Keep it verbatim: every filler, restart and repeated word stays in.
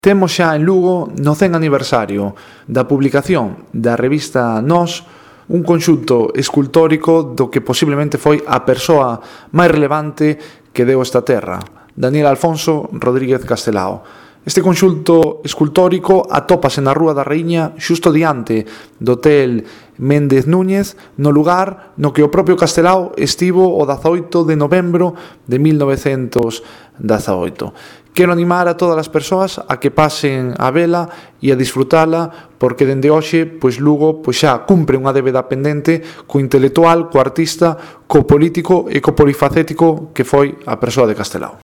Temos xa en Lugo, no cen aniversario da publicación da revista Nós, un conxunto escultórico do que posiblemente foi a persoa máis relevante que deu esta terra, Daniel Alfonso Rodríguez Castelao. Este conxunto escultórico atópase na Rúa da Raíña xusto diante do Hotel Méndez Núñez, no lugar no que o propio Castelao estivo o dezaoito de novembro de mil novecentos dezaoito. Quero animar a todas as persoas a que pasen a vela e a disfrutala, porque dende hoxe, pois Lugo pois xa cumpre unha débeda pendente co intelectual, co artista, co político e co polifacético que foi a persoa de Castelao.